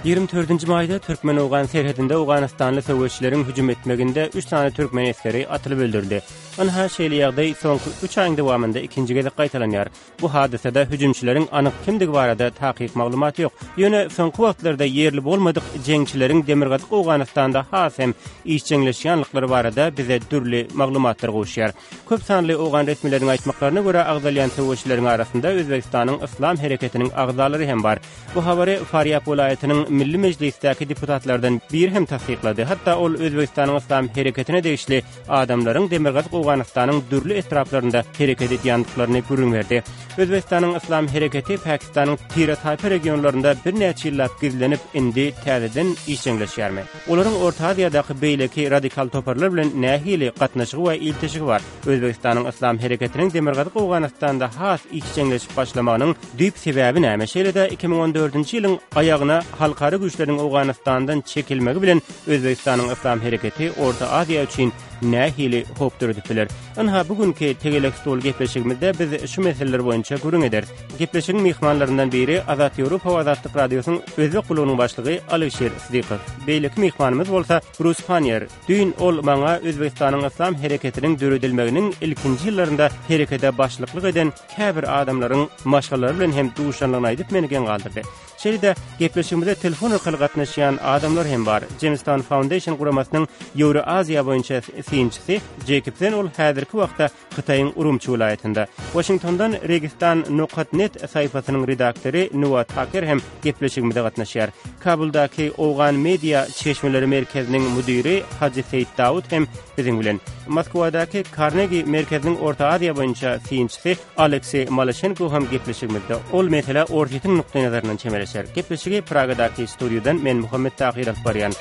24-nji maýda türkmen-owgan serhedinde owganystanly söweşçileriň hüjüm etmeginde üç sany türkmen esgeri atylyp öldürildi. Ynha, şeýle ýagdaý soňky üç aýyň dowamynda ikinji gezek gaýtalanýar. Bu hadysada hüjümçileriň anyk kimdigi barada takyk maglumat ýok. Ýöne soňky wagtlarda ýerli bolmadyk jeňçileriň demirgazyk Owganystanda has hem işjeňleşýänliklary barada bize dürli maglumatlar gowuşýar. Köp sanly owgan resmileriniň aýtmaklaryna görä, agzalýan söweşçileriň arasynda Özbegistanyň Yslam hereketiniň agzalary hem bar. Bu habary Farýab welaýatynyň Milli Mejlisdäki deputatlardan biri hem tassyklady. Hatda ol Özbegistanyň Yslam hereketine degişli adamlaryň Demirgazyk Owganystanyň dürli etraplarynda hereket edýändiklaryny gürrüň berdi. Özbegistanyň Yslam hereketi Pakistanyň tire-taýpa regionlarynda birnäçe ýyllap gizlenip, indi täzeden işjeňleşýärmi? Olaryň Orta Aziýadaky beýleki radikal toparlar bilen nähili gatnaşygy we ilteşigi bar? Özbegistanyň Yslam hereketiniň Demirgazyk Owganystanda has işjeňleşip başlamagynyň düýp sebäbi näme? Şeýle-de 2014-nji ýylyň aýagyna halkara güýçleriniň Owganystandan çekilmegi bilen Özbegistanyň Yslam hereketi Orta Aziýa üçin nähili howp döredip biler? Ynha, bu günki Tegelek stol gepleşigimizde biz şu meseleler boýunça gürrüň ederis. Gepleşigiň myhmanlaryndan biri Azat Ýewropa we Azatlyk Radiosynyň Özbek gullugynyň başlygy Alyşir Sydykow. Beýleki myhmanymyz bolsa Brus Panniýer. Düýn ol maňa Özbegistanyň Yslam hereketiniň döredilmeginiň ilkinji ýyllarynda herekete başlyklyk eden käbir adamlaryň maşgalalary bilen hem duşanlygyny aýdyp meni geň galdyrdy. Şeýle-de, gepleşigimize telefon arkaly gatnaşýan adamlar hem bar. Jamestown Foundation guramasynyň Ýewroaziýa boýunça synçysy Jeýkob Zen ol häzirki wagtda Hytaýyň Urumçi welaýatynda. Waşingtondan Registan nokat net saýpasynyň redaktory Nua Taker hem gepleşigimize gatnaşýar. Kabuldaky Owgan media çeşmeleri merkeziniň müdiri Hajy Seýit Dawut hem biziň bilen. Moskwadaky Karnegi merkeziniň Orta Aziýa boýunça synçysy Alekseý Malaşenko hem gepleşigimizde. Ol meselä Orsýetiň nukdaýnazaryndan çemeleşer. Gepleşigi Pragadaky studiýadan men Muhammet Tahyr alyp barýan.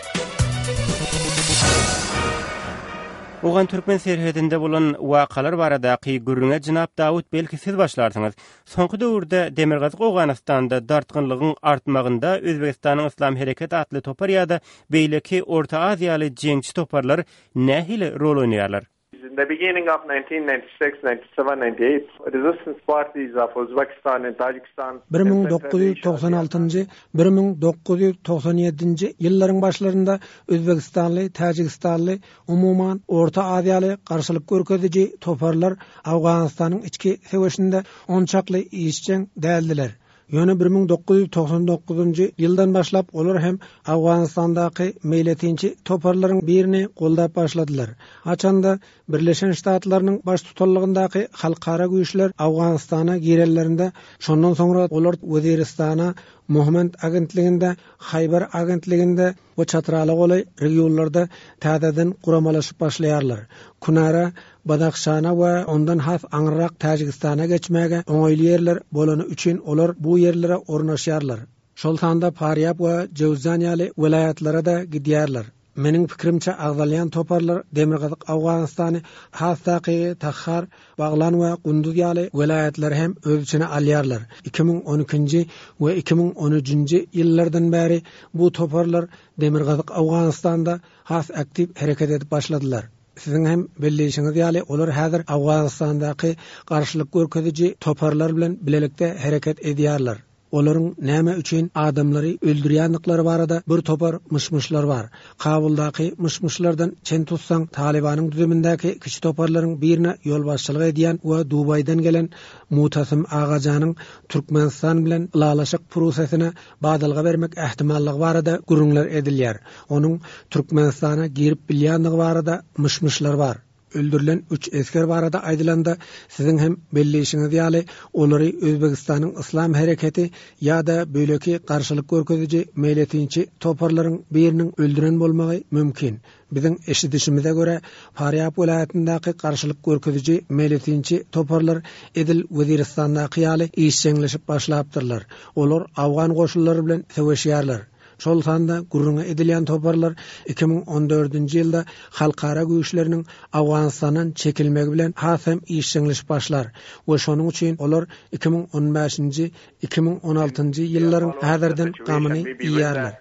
Owgan-türkmen serhedinde bolan wakalar baradaky gürrüňe jenap Dawut belki siz başlarsyňyz. Soňky döwürde Demirgazyk Owganystanda dartgynlygyň artmagynda Özbegistanyň Yslam Hereketi atly topar ýa-da beýleki Orta Aziýaly jeňçi toparlar nähili rol oýnaýarlar? In the beginning of 1996, 97, 98, resistance parties of Uzbekistan and Tajikistan 1996-njy, 1997-nji ýyllaryň başlarynda özbegistanly, täjigistanly, umuman, orta aziýaly garşylyk görkeziji toparlar Owganystanyň içki söweşinde onçakly işjeň däldiler. Ýöne 1999-njy ýyldan başlap olar hem Owganystandaky meýletinçi toparlaryň birini goldap başladylar. Haçanda Birleşen Ştatlarynyň baştutanlygyndaky halkara güýçler Owganystana girenlerinde, şondan soňra olar Weziristana, Mohmand agentliginde, Haýbar agentliginde we Çatrala golaý regionlarda täzeden guramalaşyp başlaýarlar. Kunara, Badahşana we ondan has aňyrrak Täjigistana geçmäge oňaýly ýerler bolany üçin olar bu ýerlere ornaşýarlar. Şol sanda Farýab we Jöwzjan ýaly welaýatlara-da gidýärler. Meniň pikirimçe agzalýan toparlar Demirgazyk Owganystany, has takygy Tahar, Baglan we Gunduz ýaly welaýatlary hem öz içine alýarlar. 2012-nji we 2013-nji ýyllardan bäri bu toparlar Demirgazyk Owganystanda has aktiw hereket edip başladylar. Siziň hem belleýşiňiz ýaly, olar häzir Owganystandaky garşylyk görkeziji toparlar bilen bilelikde hereket edýärler. Olaryň näme üçin adamlary öldürýändiklary barada bir topar myş-myşlar bar. Kabuldaky myş-myşlardan çen tutsaň, Talybanyň düzümindäki kiçi toparlaryň birine ýolbaşçylyk edýän we Dubaýdan gelen Mutasym Agajanyň Türkmenistan bilen ylalaşyk prusesine badalga bermek ähtimallygy barada gürrüňler edilýär. Onuň Türkmenistana girip bilýändigi barada myş-myşlar bar. Öldürilen üç esger barada aýdylanda, siziň hem belleýşiňiz ýaly, olary Özbegistanyň Yslam hereketi ýa-da beýleki garşylyk görkeziji meýletinçi toparlaryň biriniň öldüren bolmagy mümkin. Biziň eşidişimize görä, Farýab welaýatyndaky garşylyk görkeziji meýletinçi toparlar edil Weziristandaky ýaly işjeňleşip başlapdyrlar. Olar awgan goşunlary bilen söweşýärler. Şol sanda gürrüňi edilýän toparlar 2014-nji ýylda halkara güýçleriniň Owganystandan çekilmegi bilen has hem işjeňleşip başlar we şonuň üçin olar 2015-nji, 2016-njy ýyllaryň häzirden gamyny iýýärler.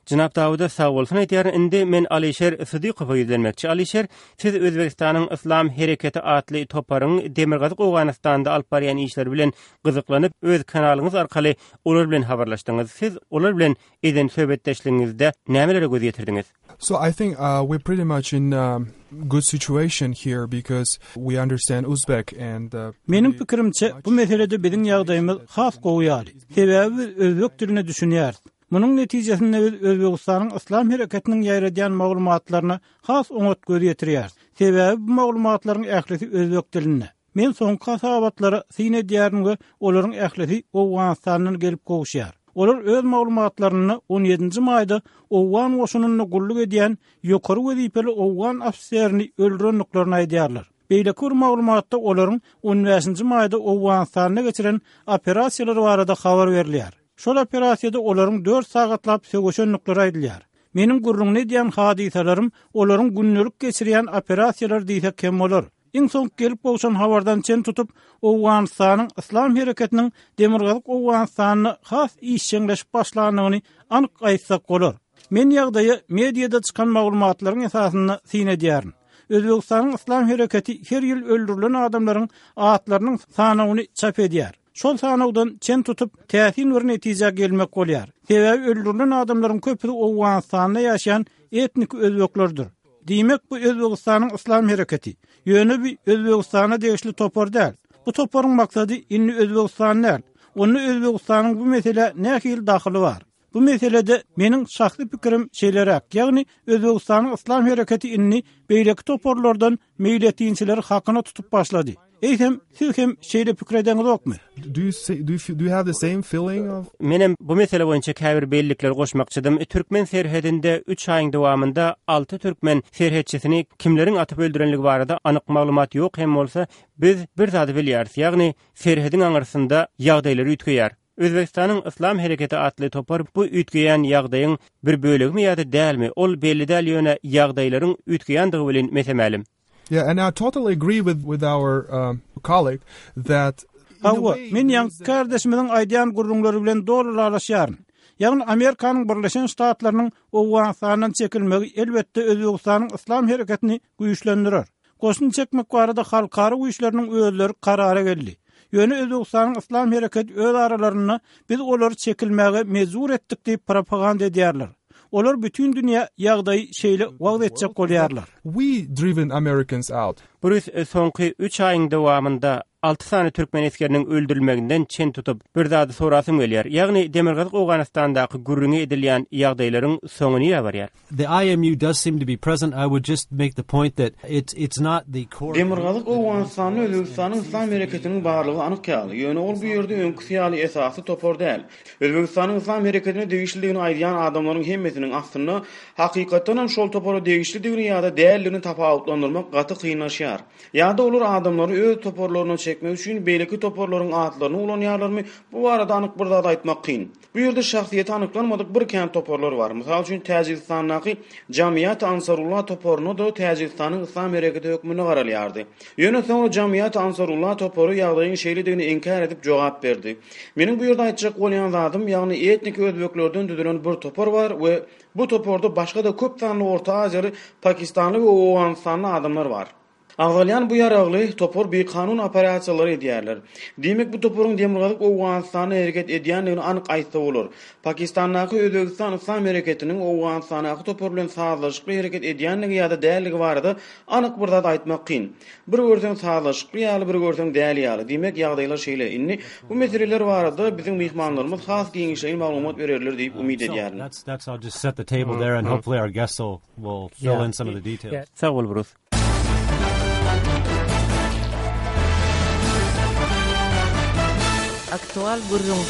Jenap Dawuda sagbolsun aýdýaryn. Indi men Alyşer Sydykowa ýüzlenmekçi. Alyşer, siz Özbegistanyň Yslam hereketi atly toparyň Demirgazyk Owganystanda alyp barýan işleri bilen gyzyklanyp, öz kanalyňyz arkaly olar bilen habarlaşdyňyz. Siz olar bilen eden söhbetdeşligiňizde nämelere göz ýetirdiňiz? So I think uh, we're pretty much in um, good situation here because we understand Uzbek and uh, Meniň pikirimçe, bu meselede biziň ýagdaýymyz has gowy ýaly. Sebäbi biz özbek diline düşünýäris. Munuň netijesinde biz Özbegistanyň Yslam hereketiniň ýaýradýan maglumatlaryna has oňat göz ýetirýäris. Sebäbi bu maglumatlaryň ählisi özbek dilinde. Men soňky hasabatlara syn edýärin we olaryň ählisi Owganystandan gelip gowuşýar. Olar öz maglumatlarynda on ýedinji maýda owgan goşunynda gulluk edýän ýokary wezipeli owgan ofiserini öldürendiklerini aýdýarlar. Beýleki bir maglumatda olaryň on bäşinji maýda Owganystanda geçiren operasiýalary barada habar berilýär. Şol operasiýada olaryň dört sagatlap söweşendikleri aýdylýar. Meniň gürrüňini edýän hadysalarym olaryň gündelik geçirýän operasiýalary diýsek hem bolar. Iň soňky gelip gowşan habardan çen tutup, Owganystanyň Yslam hereketiniň Demirgazyk Owganystanda has işjeňleşip başlandygyny anyk aýtsak bolar. Men ýagdaýa mediada çykan maglumatlaryň esasynda syn edýärin. Özbegistanyň Yslam hereketi her ýyl öldürilen adamlaryň atlarynyň sanawyny çap edýär. Şol sanawdan çen tutup, täsin bir netijä gelmek bolýar. Sebäbi öldürilen adamlaryň köpüsi Owganystanda ýaşaýan etniki özbeklerdir. Diýmek, bu Özbegistanyň Yslam hereketi. Ýöne bu Özbegistana degişli topar däl. Bu toparyň maksady indi Özbegistan däl. Onda Özbegistanyň bu meselä nähili dahyly bar? Bu meselede meniň şahsy pikirim şeýleräk, ýagny Özbegistanyň Yslam hereketi indi beýleki toparlardan meýletinçileri hakyna tutup başlady. Eýsem, siz hem şeýle pikir edeňizokmy? Do you say, do you, do you have the same feeling of? Menem bu mesele boýunça käbir bellikleri goşmakçydym. Türkmen serhedinde üç aýyň dowamynda alty türkmen serhetçisini kimleriň atyp öldürenligi barada anyk maglumat ýok hem bolsa, biz bir zady bilýäris, ýagny serhediň aňyrsynda ýagdaýlar üýtgeýär. Özbegistanyň Yslam hereketi atly topar bu üýtgeýän ýagdaýyň bir bölegimi ýa-da dälmi, ol belli däl ýöne ýagdaýlaryň üýtgeýändigi welin mese-mälim. Yeah, and I totally agree with with our um, colleague that Hawa, men ýaňky kärdeşimiziň aýdýan gürrüňleri bilen doly ylalaşýaryn. Ýagny Amerikanyň Birleşen Ştatlarynyň Owganystandan çekilmegi elbetde Özbegistanyň Yslam hereketini güýçlendirer. Goşun çekmek barada halkara güýçleriniň özleri karara geldi. Ýöne Özbegistanyň Yslam hereketi öz aralarynda biz olary çekilmäge mejbur etdik diýip propaganda edýärler. Olar bütin dünýä ýagdaýy şeýle wagyz etjek bolýarlar. We driven Americans out. Brus soňky üç aýyň dowamynda alty sany türkmen esgeriniň öldürilmeginden çen tutup, bir zady sorasym gelýär. Ýagny Demirgazyk Owganystandaky gürrüňi edilýän ýagdaýlaryň soňy nirä barýar? The IMU does seem to be present. I would just make the point that it's it's not the core. Demirgazyk Owganystanda Özbegistanyň Yslam hereketiniň barlygy anyk ýaly, ýöne ol bu ýerde öňküsi ýaly esasy topar däl. Özbegistanyň Yslam hereketine degişlidigini aýdýan adamlaryň hemmesiniň aslynda hakykatdanam şol topara degişlidigini ýa-da däldigini tapawutlandyrmak gaty kynlaşýar. Ýa-da olar adamlary öz toparlaryna çekmek üçin beýleki toparlaryň atlaryny ulanýarlarmy, bu barada anyk bir zat aýtmak kyn. Bu ýerde şahsyýeti anyklanmadyk bir kän toparlar bar. Mysal üçin, Täjigistandaky Jamiat Ansarullah toparyna-da Täjigistanyň Yslam hereketi hökmünde garalýardy. Ýöne soňra Jamiat Ansarullah topary ýagdaýyň şeýledigini inkär edip jogap berdi. Meniň bu ýerde aýtjak bolýan zadym, ýagny etniki özbeklerden düzülen bir topar bar we bu toparda başga-da köp sanly orta aziýaly, pakistanly we owganystanly adamlar bar. Agzalýan bu ýaragly topar bikanun operasiýalary edýärler. Diýmek, bu toparyň Demirgazyk Owganystanda hereket edýändigini anyk aýtsa bolar. Pakistandaky Özbegistan Yslam hereketiniň Owganystandaky topar bilen sazlaşykly hereket edýändigi ýa-da däldigi barada anyk bir zat aýtmak kyn. Bir görseň sazlaşykly ýaly, bir görseň däl ýaly. Diýmek, ýagdaýlar şeýle. Indi bu meseleler barada biziň myhmanlarymyz has giňişleýin maglumat bererler diýip umyt edýärin. Sag bol, Brus. Aktual gürrüň.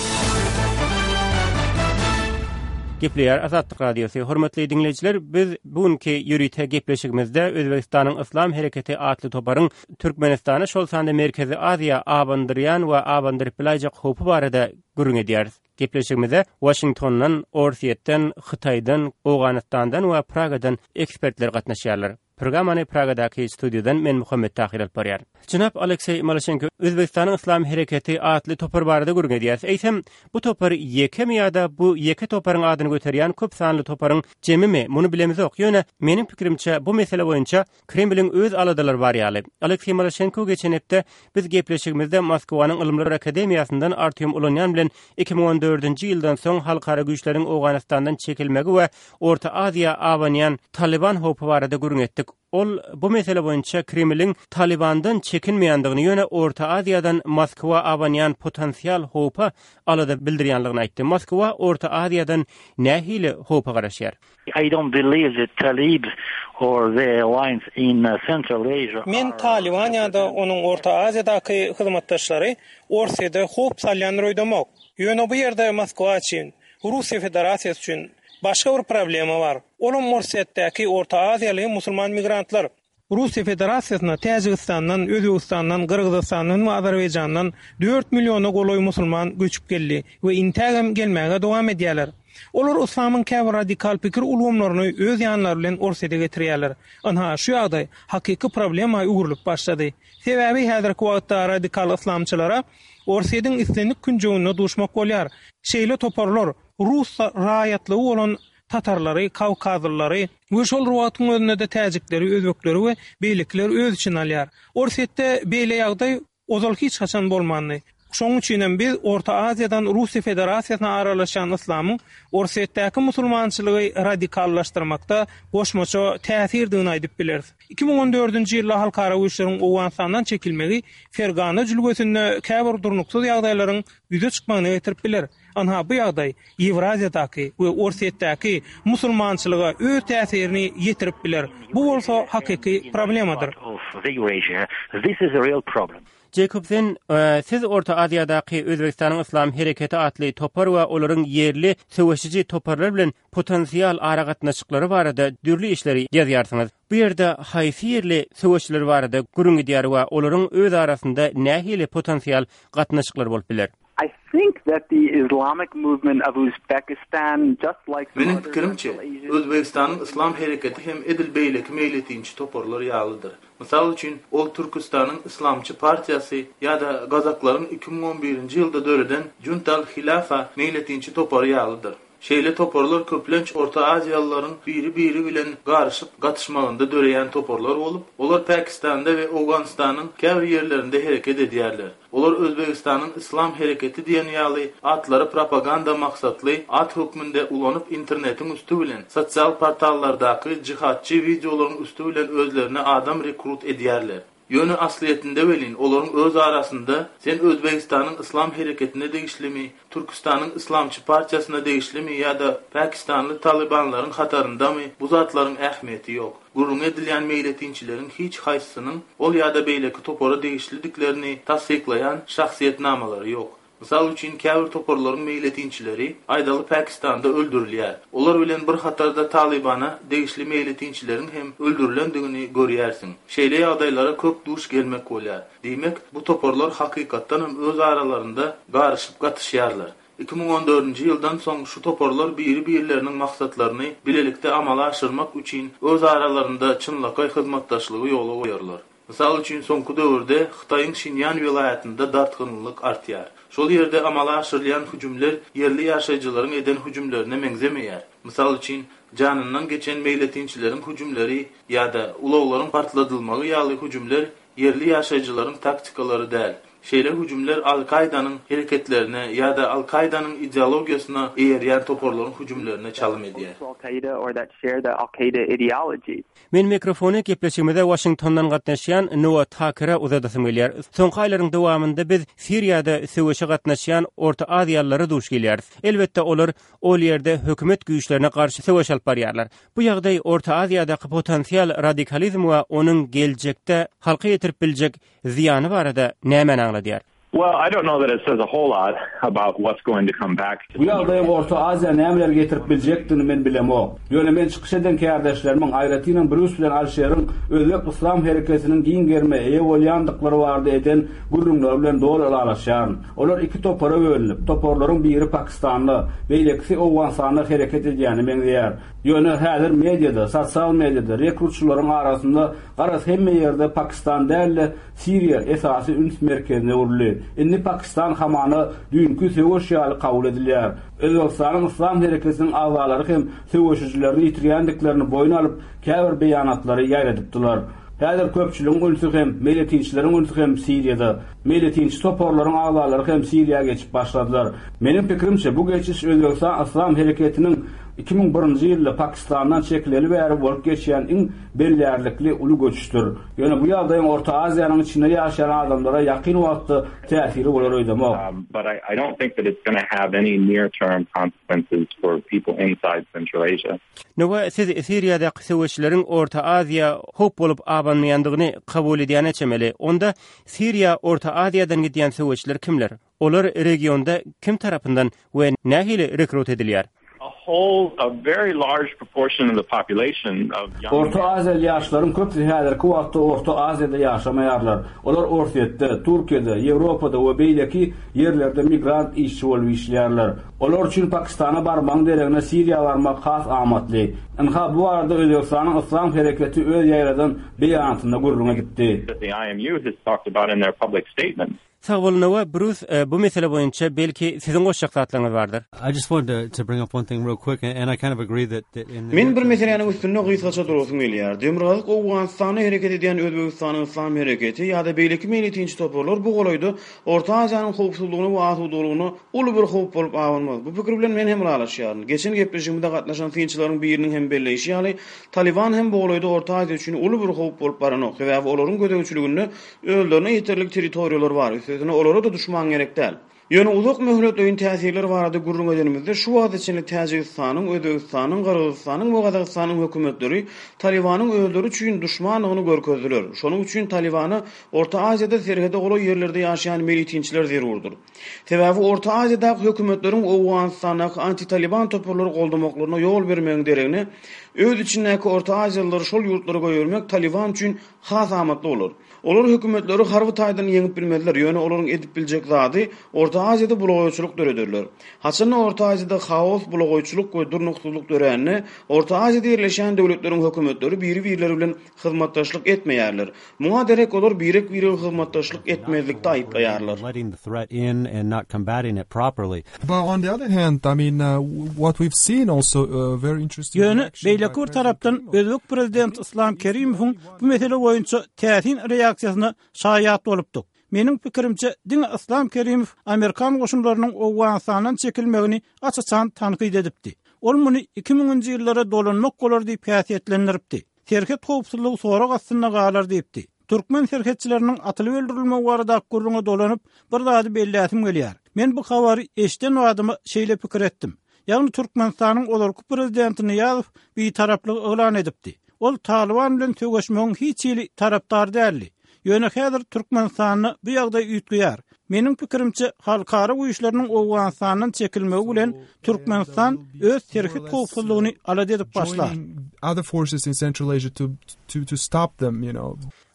Gepleýär Azatlyk Radiosy. Hormatly diňleýjiler, biz bu günki ýörite gepleşigimizde Özbegistanyň Yslam hereketi atly toparyň Türkmenistana, şol sanda Merkezi Aziýa abandyrýan we abandyryp bilaýjak howpy barada gürrüň edýäris. Gepleşigimize Waşingtondan, Orsýetden, Hytaýdan, Owganystandan we Pragadan ekspertler gatnaşýarlar. Programmany Pragadaky studiýadan men Muhammet Tahyr alyp barýaryn. Jenap Alekseý Malaşenko. Özbegistanyň Yslam hereketi atly topar barada gürrüň edýäris. Eýsem, bu topar ýekemi ýa-da bu ýeke toparyň adyny göterýän köp sanly toparyň jemimi, muny bilemizok. Ýöne, meniň pikirimçe, bu mesele boýunça Kremliň öz aladalary bar ýaly. Alekseý Malaşenko geçen hepde biz gepleşigimizde Moskwanyň Ylymlar akademiýasyndan Artýom Ulanýan bilen 2014-nji ýyldan soň halkara güýçleriň Owganystandan çekilmegi we Orta Aziýa abanýan Talyban howpy barada gürrüň etdik. Ol bu mesele boýunça Kremliň Talybandan çekinmeýändigini, ýöne Orta Aziýadan Moskwa abanýan potensial howpa alada bildirýänligini aýtdy. Moskwa Orta Aziýadan nähili howpa garaşýar? I don't believe that Talib or their alliance in Central Asia Men Talyban ýa-da onuň Orta Aziýadaky hyzmatdaşlary Orsýede howp salýandyr öýdemok. Ýöne bu ýerde Moskwa üçin, Russiýa Federasiýasy üçin başga bir problema bar. Olam Orsýetdäki Orta Aziýaly musulman migrantlar. Russiýa Federasiýasyna Täjigistandan, Özbegistandan, Gyrgyzystandan we Azerbaýjandan dört milliona golaý musulman göçüp geldi we intägem gelmäge dowam edýärler. Olar yslamyň käbir radikal pikir ulgamlaryny öz ýanlary bilen Orsýete getirýärler. Ynha, şu ýagdaý hakyky problema öwrülip başlady. Sebäbi häzirki wagtda radikal yslamçylara Orsýetiň islendik künjeginde duşmak bolýar. Şeýle toparlar rus raýatlygy bolan tatarlary, kawkazlylary we şol bir wagtyň özünde-de täjikleri, özbekleri we beýlekileri öz içine alýar. Orsýetde beýle ýagdaý ozal hiç haçan bolmandy. Şonuň üçin hem biz Orta Aziýadan Russiýa Federasiýasyna aralaşýan yslamyň Orsýetdäki musulmançylygy radikallaşdyrmakda goşmaça täsirdigini aýdyp bileris. 2014-nji ýylda halkara güýçleriň Owganystandan çekilmegi Fergana jülgesinde käbir durnuksyz ýagdaýlaryň ýüze çykmagyna getirip biler. Ynha, bu ýagdaý Ýewraziýadaky we Orsýetdäki musulmançylyga öz täsirini ýetirip biler. Bu bolsa hakyky problemadyr. Jekobsen, Siz Orta Aziýadaky Özbegistanyň Yslam hereketi atly topar we olaryň ýerli söweşiji toparlar bilen potensial aragatnaşyklary barada dürli işleri ýazýarsyňyz. Bu ýerde haýsy ýerli söweşçiler barada gürrüň gidýär we olaryň öz arasynda nähili potensial gatnaşyklary bolup biler? I think that the Islamic movement of Uzbekistan, just like some Meniň other pikirimçe, Central Asian Özbegistanyň Yslam hereketi hem edil beýleki meýletinçi toparlar ýalydyr. Mysal üçin, ol Türküstanyň Yslamçy partiýasy ýa-da gazaklaryň 2011-nji ýylda döreden Junt al-Hilafa meýletinçi topary ýalydyr. Şeýle toparlar köplenç Orta Aziýalylaryň biri-biri bilen garyşyp-gatyşmagynda döreýän toparlar bolup, olar Pakistanda we Owganystanyň käbir ýerlerinde hereket edýärler. Olar Özbegistanyň Yslam hereketi diýen ýaly atlary propaganda maksatly at hökmünde ulanyp internetiň üsti bilen, sosial portallardaky jihadçy wideolaryň üsti bilen özlerine adam rekrut edýärler. Ýöne aslyýetinde welin olaryň öz arasynda sen Özbegistanyň Yslam hereketine degişlimi, Türküstanyň Yslamçy partiýasyna degişlimi ýa-da pakistanly talybanlaryň hataryndamy bu zatlaryň ähmiýeti ýok. Gürrüňi edilýän meýletinçileriň hiç haýsysynyň ol ýa-da beýleki topara degişlidiklerini tassyklaýan şahsyýetnamalary ýok. Mysal üçin, käbir toparlaryň meýletinçileri, aýdaly Pakistanda öldürilýär. Olar bilen bir hatarda Talybana degişli meýletinçileriň hem öldürilendigini görýärsiň. Şeýle ýagdaýlara köp duş gelmek bolýar. Diýmek, bu toparlar hakykatdanam öz aralarynda garyşyp-gatyşýarlar. 2014-nji ýyldan soň şu toparlar biri-birleriniň maksatlaryny bilelikde amala aşyrmak üçin öz aralarynda çynlakaý hyzmatdaşlygy ýola goýarlar. Mysal üçin, soňky döwürde Hytaýyň Şinýan welaýatynda dartgynlylyk artýar. Şol ýerde amala aşyrylýan hüjümler ýerli ýaşaýjylaryň eden hüjümlerine meňzemeýär. Mysal üçin, janyndan geçen meýletinçileriň hüjümleri ýa-da ulaglaryň partladylmagy ýaly hüjümler ýerli ýaşaýjylaryň taktikalary däl. Şeýle hüjümler Al-Kaýdanyň hereketlerine ýa-da Al-Kaýdanyň ideologiýasyna eýerýän toparlaryň hüjümlerine çalym edýär. Men mikrofony gepleşigimize Waşingtondan gatnaşýan Noa Takere uzadasym gelýär. Soňky aýlaryň dowamynda biz Siriýada söweşe gatnaşýan Orta Aziýalylara duş gelýäris. Elbetde, olar ol ýerde hökümet güýçlerine garşy söweş alyp barýarlar. Bu ýagdaý Orta Aziýadaky potensial radikalizm we onuň geljekde halka ýetirip biljek zyýany barada nämäni aňladýar? Well, I don't know that it says a whole lot about what's going to come back to Bu ýagdaýyň Orta Aziýa nämeler getirip biljekdigini men bilemok. Ýöne men çykyş eden kärdeşlerimiň, aýratynam Brýus bilen Alişeriň özbek yslam hereketiniň giň gerime eýe bolýandyklary barada eden gürrüňleri bilen doly ylalaşýaryn. Olar iki topara bölünip, toparlaryň biri Pakistanda, beýlekisi Owganystanda hereket edýäne meňzeýär. Ýöne häzir mediada, sosial mediada, rekrutçylaryň arasynda garaz hemme ýerde Pakistan däl-de, Siriýa esasy üns merkezine öwrüldi. Indi Pakistan hamana düýnki söweş ýaly kabul edilýär. Özbegistanyň Yslam hereketiniň agzalary hem söweşijilerini ýitirýändiklerini boýun alyp, käbir beýanatlary ýaýradypdylar. Häzir köpçüligiň ünsi hem, meýletinçileriň ünsi hem Siriýada. Meýletinçi toparlaryň agzalary hem Siriýa geçip başladylar. Meniň pikirimçe, bu geçiş Özbegistan Yslam hereketiniň 2001-nji ýylda Pakistandan çekileli bäri bolup geçýän iň bellärlikli uly göçüşdir. Ýöne bu ýagdaýyň Orta Aziýanyň içinde ýaşaýan adamlara ýakyn wagtda täsiri bolar öýdemok. But I don't think that it's gonna have any near term consequences for people inside Central Asia. Nowa, siz Siriýadaky söweşleriň Orta Aziýa howp bolup abanmaýandygyny kabul edýäne çemeli. Onda Siriýa Orta Aziýadan gidýän söweşçiler kimler? Olar regionda kim tarapyndan we nähili rekrut edilýär? Orta Aziýaly ýaşlaryň köpüsi häzirki wagtda Orta Aziýada ýaşamaýarlar. Olar Orsýetde, Türkiýede, Ýewropada we beýleki ýerlerde migrant işçi bolup işleýärler. Olar üçin Pakistana barmagyň deregine Siriýa barmak has amatly. Ynha, bu barada Özbegistanyň Yslam hereketi öz ýaýradan beýanatynda gürrüň edipdi. Sag bol Nowa, Brus bu mesele boýunça belki siziň goşjak zatlaryňyz bardyr. I just wanted to bring up one thing real quick and I kind of agree that that in the Men bir meseläniň üstünde gysgaça durasym gelýär. Demirgazyk Owganystanda hereket edýän Özbegistanyň Yslam hereketi ýa-da beýleki meýletinçi toparlar bu golaýda Orta Aziýanyň howpsuzlygyna we asudalygyna uly bir howp bolup abanmaz. Bu pikir bilen men hem ylalaşýaryn. Geçen gepleşigimize gatnaşan synçylaryň biriniň hem belleýşi ýaly, Talyban hem bu golaýda Orta Aziýa üçin uly bir howp bolup baranok. Sebäbi olaryň gözegçiliginde Özlerine ýeterlik territoriýalar bar, üstesine olara-da duşman gerek däl. Ýöne uzak möhletleýin täsirler barada gürrüň edenimizde, şu wagta çenli Täjigistanyň, Özbegistanyň, Gyrgyzystanyň we Gazagystanyň hökümetleri Talybanyň özleri üçin duşmandygyny görkezdiler. Şonuň üçin Talybana Orta Aziýada serhede golaý ýerlerde ýaşaýan meýletinçiler zerurdyr. Sebäbi Orta Aziýadaky hökümetleriň Owganystandaky anti-Talyban toparlary goldamaklaryna ýol bermegiň deregine, öz içindäki Orta Aziýalylary şol ýurtlara goýbermek Talyban üçin has amatly bolar. Olar hökümetleri harby taýdan ýeňip bilmezler, ýöne olaryň edip biljek zady Orta Aziýada bulagaýçylyk dörederler. Haçanda Orta Aziýada haos, bulagaýçylyk we durnuksyzlyk dörände, Orta Aziýada ýerleşýän döwletleriň hökümetleri biri-birleri bilen hyzmatdaşlyk etmeýärler. Muňa derek olar birek-biregi hyzmatdaşlyk etmezlikde aýyplaýarlar. But on the other hand, I mean, what we've seen also a very interesting Ýöne beýleki bir tarapdan özbek prezidenti Yslam Kerimowyň bu mesele boýunça täsin reaksiýasyna şaýat bolupdyk. Meniň pikirimçe, diňe Yslam Kerimow amerikan goşunlarynyň Owganystandan çekilmegini aç-açan tankyt edipdi. Ol muny iki müňünji ýyllara dolanmak bolar diýip häsiýetlendiripdi. Serhet howpsuzlygy sorag astynda galar diýipdi. Türkmen serhetçileriniň atylyp öldürilmegi baradaky gürrüňe dolanyp, bir zady belläsim gelýär. Men bu habary eşiden badyma şeýle pikir etdim. Ýagny Türkmenistanyň ozalky prezidenti Nyýazow bitaraplygy yglan edipdi. Ol Talyban bilen söweşmegiň hiç hili tarapdary däldi. Ýöne häzir Türkmenistanda bu ýagdaý üýtgeýär. Meniň pikirimçe, halkara güýçleriniň Owganystandan çekilmegi bilen Türkmenistan öz serhet howpsuzlygyny alada edip başlar.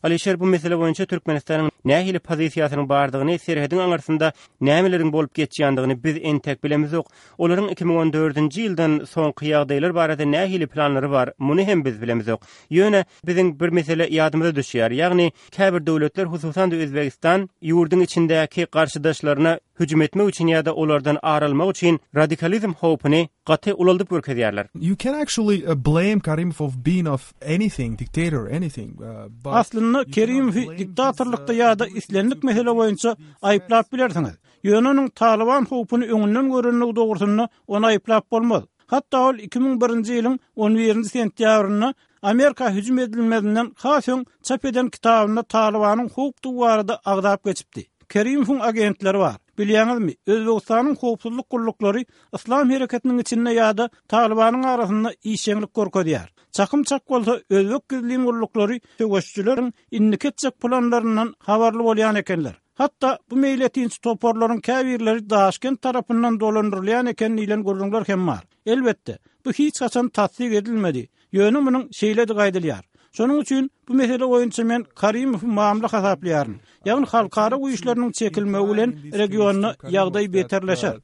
Alyşir bu mesele boýunça Türkmenistanyň nähili pozisiýasynyň bardygyny, serhediň aňyrsynda nämeleriň bolup geçýändigini biz entek bilemizok. Olaryň 2014-nji ýyldan soňky ýagdaýlar barada nähili planlary bar, muny hem biz bilemizok. Ýöne biziň bir mesele ýadymyza düşýär, ýagny käbir döwletler, hususan-da Özbegistan ýurduň içindäki garşydaşlaryna hüjüm etmek üçin ýa-da olardan ar almak üçin radikalizm howpuny gaty ulaldyp görkezýärler. You can actually blame Karimov of being of anything, dictator, anything, but Aslynda Kerimowy diktatorlykda ýa-da islendik mesele boýunça aýyplap bilersiňiz. Ýöne onuň Talyban howpuny öňünden görenligi dogrusynda ony aýyplap bolmaz. Hatda ol 2001-nji ýylyň on birinji sentýabrynda Amerika hüjüm edilmezinden has öň çap eden kitabynda Talybanyň howpdugy barada agzap geçipdi. Kerimowyň agentleri bar. Bilýäňizmi, Özbegistanyň howpsuzlyk gulluklary Yslam hereketiniň içinde ýa-da Talybanyň arasynda işjeňlik görkezýär. Çakym çak bolsa, özbek gizlin gulluklary söweşijileriň indiki etjek planlaryndan habarly bolýan ekenler. Hatda bu meýletinçi toparlaryň käbirleri Daşkent tarapyndan dolandyrylýan eken diýlen gürrüňler hem bar. Elbetde, bu hiç haçan tassyk edilmedi, ýöne munuň şeýledigi aýdylýar. Şonuň üçin bu mesele boýunça men Karimowy mamla hasaplaýaryn. Ýagny halkara güýçleriniň çekilmegi bilen regionda ýagdaý beterleşer.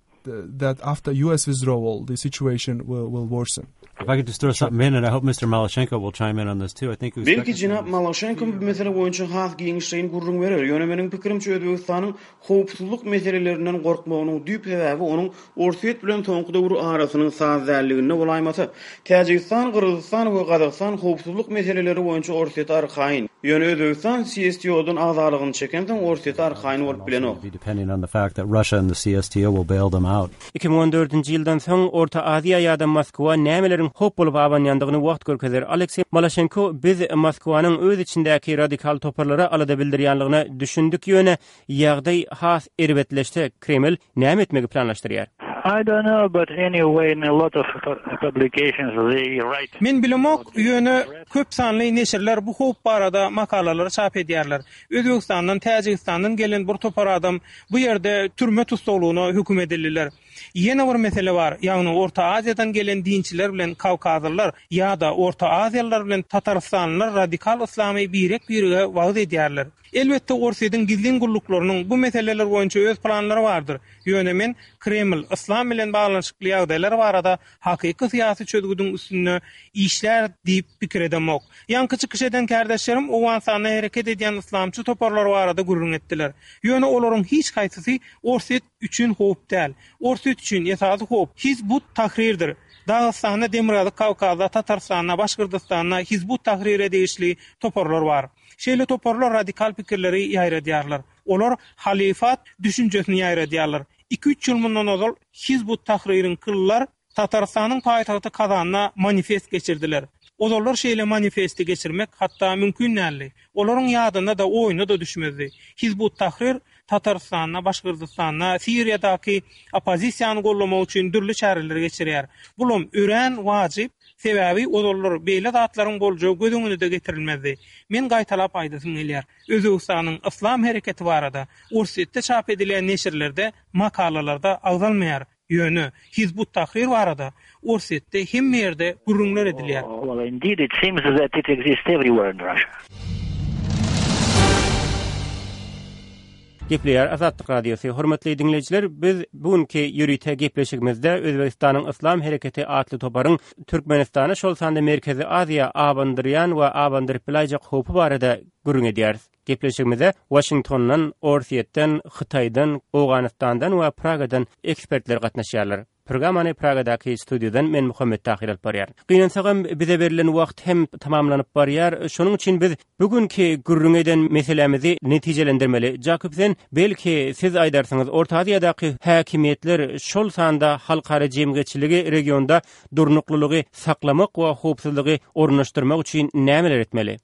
That after US withdrawal the situation will will worsen. If I could just throw something in and I hope Mister Malaşenko will chime in on this too. I think Belki jenap Malaşenko bu mesele boýunça has giňişleýin gürrüň berer, ýöne meniň pikirimçe Özbegistanyň howpsuzlyk meselelerinden gorkmagynyň düýp sebäbi onuň Orsýet bilen soňky döwür arasynyň saz dälliginde bolaýmasa. Täjigistan, Gyrgyzystan we Gazagystan howpsuzlyk meseleleri boýunça Orsýete arkaýyn. Ýöne Özbegistan CSTO-dan agzalygyny çekensoň Orsýete arkaýyn bolup bilenok. 2014-nji ýyldan soň Orta Aziýa ýa-da Moskwa nämeleriň howp bolup abanýandygyny wagt görkezer. Alekseý Malaşenko Biz Moskwanyň öz içindäki radikal toparlara alada bildirýänligine düşündik ýöne ýagdaý has erbetleşse Kreml näme etmegi planlaşdyrýar? I don't know, but anyway in a lot of publications they write. Men bilemok, ýöne köp sanly neşirler bu howp barada makalalary çap edýärler. Özbegistandan, Täjigistandan gelen bir topar adam bu ýerde türme tussaglygyna höküm edildiler. Ýene bir mesele bar, ýagny Orta Aziýadan gelen dinçiler bilen kawkazlylar ýa-da Orta Aziýalylar bilen tatarystanlylar radikal yslamy birek-birege wagyz edýärler. Elbetde, Orsýetiň gizlin gulluklarynyň bu meseleler boýunça öz planlary bardyr. Ýöne men Kreml yslam bilen baglanyşykly ýagdaýlar barada hakyky syýasy çözgüdiň üstünde işlär diýip pikir edemok. Ýaňky çykyş eden kärdeşlerim Owganystanda hereket edýän yslamçy toparlar barada gürrüň etdiler. Ýöne olaryň hiç haýsysy Orsýet üçin howp däl. Orsýet üçin esasy howp Hizb ut-Tahrirdir. Dagystanda, Demirgazyk Kawkazda, Tatarystanda, Başgyrdystanda Hizb ut-Tahrire degişli toparlar bar. Şeýle toparlar radikal pikirleri ýaýradýarlar. Olar halyfat düşünjesini ýaýradýarlar. Iki-üç ýyl mundan ozal Hizb ut-Tahririňkiler Tatarystanyň paýtagty Kazanda manifest geçirdiler. Ozallar şeýle manifesti geçirmek hatda mümkin däldi. Olaryň ýadyna-da, oýuna-da düşmezdi. Hizb ut-Tahrir Tatarystanda, Başgyrdystanda, Siriýadaky oppozisiýany gollamak üçin dürli çäreleri geçirýär. Bulam örän wajyp, sebäbi ozallar beýle zatlaryň boljagy göz öňüne-de getirilmezdi. Men gaýtalap aýdasym gelýär, Özbegistanyň Yslam hereketi barada Orsýetde çap edilýän neşirlerde, makalalarda agzalmaýar. Ýöne Hizb ut-Tahrir barada Orsýetde hemme ýerde gürrüňler edilýär. Well, indeed, it seems that it exists everywhere in Russia. Gepleýär Azatlyk Radiosy. Hormatly diňleýjiler, biz bu günki ýörite gepleşigimizde Özbegistanyň Yslam hereketi atly toparyň Türkmenistana, şol sanda Merkezi Aziýa abandyrýan we abandyryp bilaýjak howpy barada gürrüň edýäris. Gepleşigimize Waşingtondan, Orsýetden, Hytaýdan, Owganystandan we Pragadan ekspertler gatnaşýarlar. Programmany Pragadaky studiýadan men Muhammet Tahyr alyp barýaryn. Gynansagam bize berlen wagt hem tamamlanyp barýar. Şonuň üçin biz bu günki gürrüň eden meselämizi netijelendirmeli. Jakub sen, belki siz aýdarsyňyz, Orta Aziýadaky häkimiýetler, şol sanda halkara jemgyýetçiligi regionda durnuklylygy saklamak we howpsuzlygy ornaşdyrmak üçin nämeler etmeli?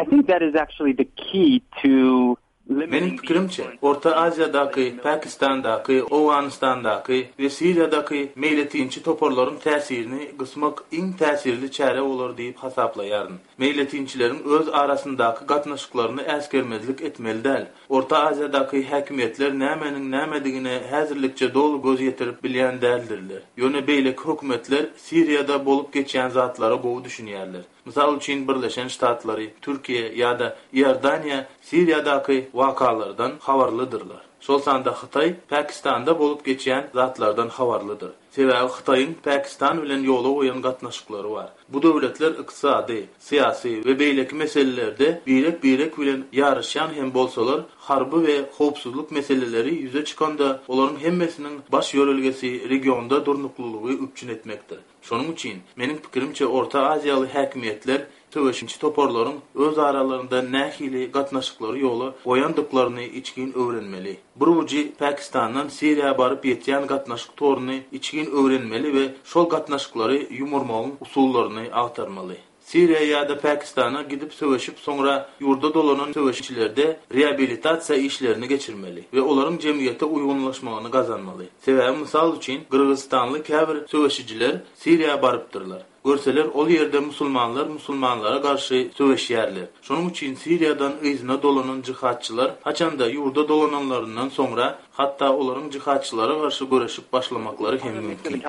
I think that is actually the key to Meniň pikirimçe, Orta Aziýadaky, Pakistandaky, Owganystandaky we Siriýadaky meýletinçi toparlaryň täsirini gysmak iň täsirli çäre bolar diýip hasaplaýaryn. Meýletinçileriň öz arasyndaky gatnaşyklaryny äsgermezlik etmeli däl. Orta Aziýadaky häkimiýetler nämäniň nämedigine häzirlikçe doly göz ýetirip bilýän däldirler. Ýöne beýleki hökümetler Siriýada bolup geçýän zatlara gowy düşünýärler. Mysal üçin, Birleşen Ştatlary, Türkiýe ýa-da Iordaniýa Siriýadaky wakalardan habarlydyrlar. Şol sanda Hytaý Pakistanda bolup geçýän zatlardan habarlydyr. Sebäbi Hytaýyň Pakistan bilen ýola goýan gatnaşyklary bar. Bu döwletler ykdysady, syýasy we beýleki meselelerde birek-birek bilen ýaryşýan hem bolsalar, harby we howpsuzlyk meseleleri ýüze çykanda olaryň hemmesiniň baş ýörelgesi regionda durnuklylygy üpjün etmekdir. Şonuň üçin, meniň pikirimçe, Orta Aziýaly häkimiýetler söweşiji toparlaryň öz aralarynda nähili gatnaşyklary ýola goýandyklaryny içgin öwrenmeli. Bir ujy Pakistandan Siriýa baryp ýetýän gatnaşyk toruny içgin öwrenmeli we şol gatnaşyklary ýumurmagyň usullaryny agtarmaly. Siriýa ýa-da Pakistana gidip söweşip soňra ýurda dolanan söweşçilerde reabilitasiýa işlerini geçirmeli we olaryň jemgyýete uýgunlaşmagyny gazanmaly. Sebäbi mysal üçin Gyrgyzystanly käbir söweşijiler Siriýa barypdyrlar. Görseler, ol ýerde musulmanlar musulmanlara garşy söweşýärler. Şonuň üçin Siriýadan yzyna dolanan jihadçylar haçanda ýurda dolananlaryndan soňra hatda olaryň jihadçylara garşy göreşip başlamaklary hem mümkin.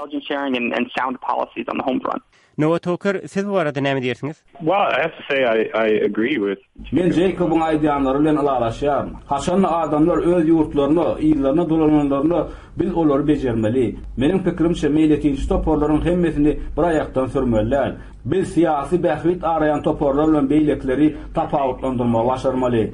Noah Toker, siz bu barada näme diýersiňiz? Men Jeýkobyň aýdýanlary bilen ylalaşýaryn. Haçanda adamlar öz ýurtlaryna, yzlaryna dolananlarynda biz olary bejermeli. Meniň pikirimçe, meýletinçi toparlaryň hemmesini bir aýakdan sürmeli däl. Biz syýasy bähbit araýan toparlar bilen beýlekileri tapawutlandyrmagy başarmaly.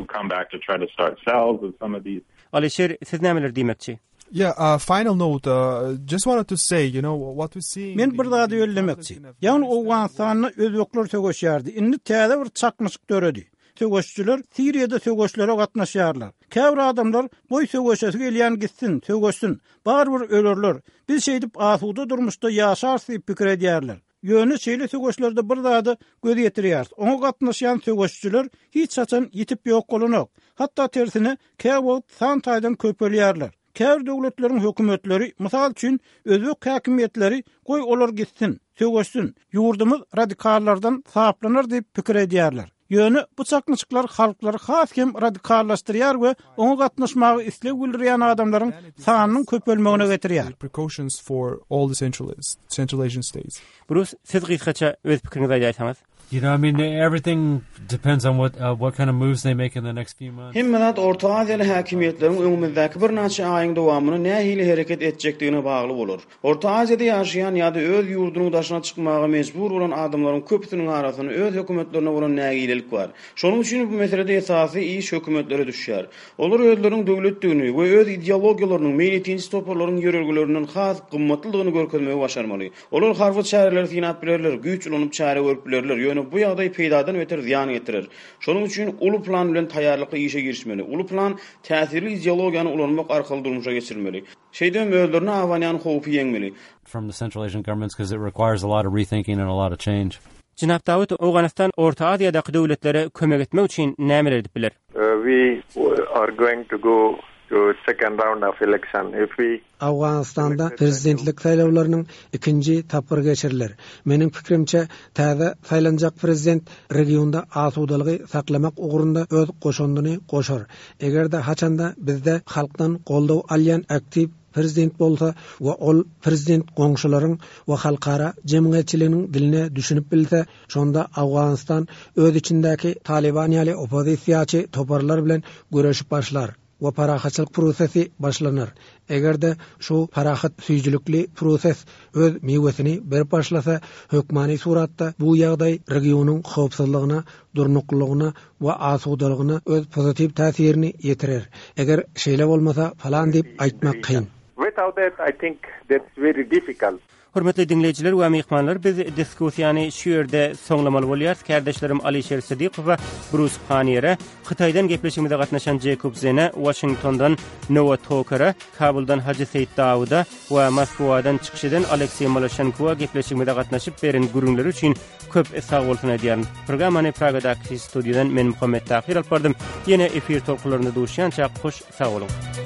Alyşir, siz nämeler diýmekçi? Yeah, uh, final note, uh, just wanted to say, you know, what we see Men bir zady bellemekçi. Ýagny Owganystanda özbekler söweşýärdi. Indi täze bir çaknyşyk döredi. Söweşijiler Siriýada söweşlere gatnaşýarlar. Käbir adamlar goý söweşesi gelýän gitsin, söweşsin. Barybir ölerler. Biz şeýdip asuda durmuşda ýaşarys diýip pikir edýärler. Ýöne şeýle söweşlerde bir zada göz ýetirýäris, oňa gatnaşýan söweşijiler hiç haçan ýitip ýok bolanok. Hatda tersine, käwagt san taýdan köpelýärler. Käbir döwletleriň hökümetleri, mysal üçin, özbek häkimiýetleri goý olar gitsin, söweşsin, ýurdumyz radikallardan saplanar diýip pikir edýärler. Ýöne bu çaknyşyklar halklary has hem radikallaşdyrýar we oňa gatnaşmaga isleg bildirýän adamlaryň sanynyň köpelmegine getirýär. Brus, siz gysgaça öz pikiriňizi aýdaýsaňyz? You know, I mean, everything depends on what uh, what kind of moves they make in the next few months. Hemme zat Orta Aziýaly häkimiýetleriň öňümizdäki birnäçe aýyň dowamynda nähili hereket etjekdigine bagly bolar. Orta Aziýada ýaşaýan ýa-da öz ýurdunyň daşyna çykmaga mejbur bolan adamlaryň köpüsiniň arasynda öz hökümetlerine bolan nägilelik bar. Şonuň üçin bu meselede esasy iş hökümetlere düşýär. Olar özleriniň döwletdigini we öz ideologiýalarynyň meýletinçi toparlaryň ýörelgelerinden has gymmatlydygyny görkezmegi başarmaly. Olar harby çäreleri synap bilerler, güýç ulanyp çäre görüp bilerler, ýöne bu ýagdaý peýdadan beter zyýan getirer. Şonuň üçin uly plan bilen taýýarlykly işe girişmeli. Uly plan täsirli ideologiýany ulanmak arkaly durmuşa geçirilmeli. Şeýdibem özlerine abanýan howpy ýeňmeli. From the Central Asian governments because it requires a lot of rethinking and a lot of change. Jenap Dawut, Owganystan Orta Aziýadaky döwletlere kömek etmek üçin nämeler edip biler? We are going to go to second round of election if we. Owganystanda prezidentlik saýlawlarynyň ikinji tapgyry geçiriler. Meniň pikirimçe, täze saýlanjak prezident regionda asudalygy saklamak ugrunda öz goşandyny goşar. Eger-de haçanda bizde halkdan goldaw alýan aktiw prezident bolsa we ol prezident goňşularyň we halkara jemgyýetçiliginiň diline düşünip bilse, şonda Owganystan öz içindäki Talyban ýaly oppozisiýaçy toparlar bilen göreşip başlar. We parahatçylyk prosesi başlanar. Eger-de şu parahat süýjülikli proses öz miwesini berip başlasa, hökmany suratda bu ýagdaý regionyň howpsuzlygyna, durnuklylygyna we asudalygyna öz pozitiw täsirini ýetirer. Eger şeýle bolmasa, falan diýip aýtmak kyn. Without that, I think that's very difficult. Hormatly diňleýjiler we myhmanlar, biz diskussiýany şu ýerde soňlamaly bolýarys. Kärdeşlerim Alyşir Sidykowa, Brus Paniere, Hytaýdan gepleşigimize gatnaşan Jeýkob Zene, Waşingtondan Noa Tokere, Kabuldan Hajy Seýit Dawuda we Moskwadan çykyş eden Alekseý Malaşenkowa gepleşigimize gatnaşyp beren gürrüňleri üçin köp sag bolsun aýdýaryn. Programmany Pragadaky studiýadan men Muhammet Tahyr alyp bardym. Ýene efir tolkunlarynda duşýançak hoş sag boluň.